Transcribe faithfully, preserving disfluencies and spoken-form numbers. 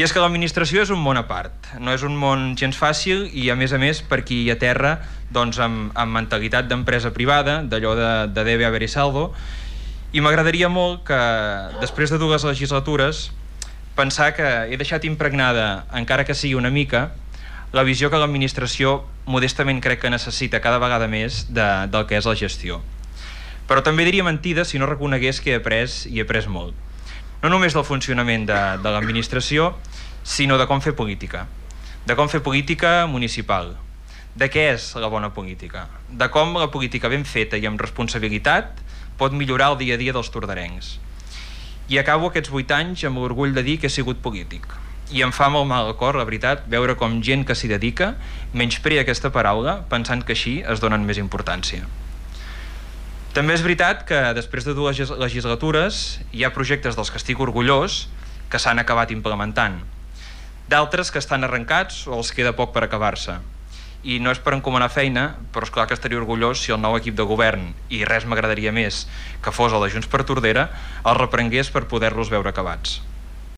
I és que l'administració és un món a part, no és un món gens fàcil i, a més a més, per qui hi aterra doncs, amb, amb mentalitat d'empresa privada, d'allò de, de debe haber y saldo, i m'agradaria molt que, després de dues legislatures, pensar que he deixat impregnada, encara que sigui una mica, la visió que l'administració modestament crec que necessita cada vegada més de, del que és la gestió. Però també diria mentida si no reconegués que he après i he après molt. No només del funcionament de, de l'administració, sinó de com fer política. De com fer política municipal. De què és la bona política. De com la política ben feta i amb responsabilitat pot millorar el dia a dia dels tordarencs. I acabo aquests vuit anys amb l'orgull de dir que he sigut polític. I em fa molt mal al cor, la veritat, veure com gent que s'hi dedica menysprea aquesta paraula pensant que així es donen més importància. També és veritat que després de dues legislatures hi ha projectes dels que estic orgullós que s'han acabat implementant. D'altres que estan arrencats o els queda poc per acabar-se. I no és per encomanar feina, però és clar que estaria orgullós si el nou equip de govern, i res m'agradaria més que fos el de Junts per Tordera, els reprengués per poder-los veure acabats.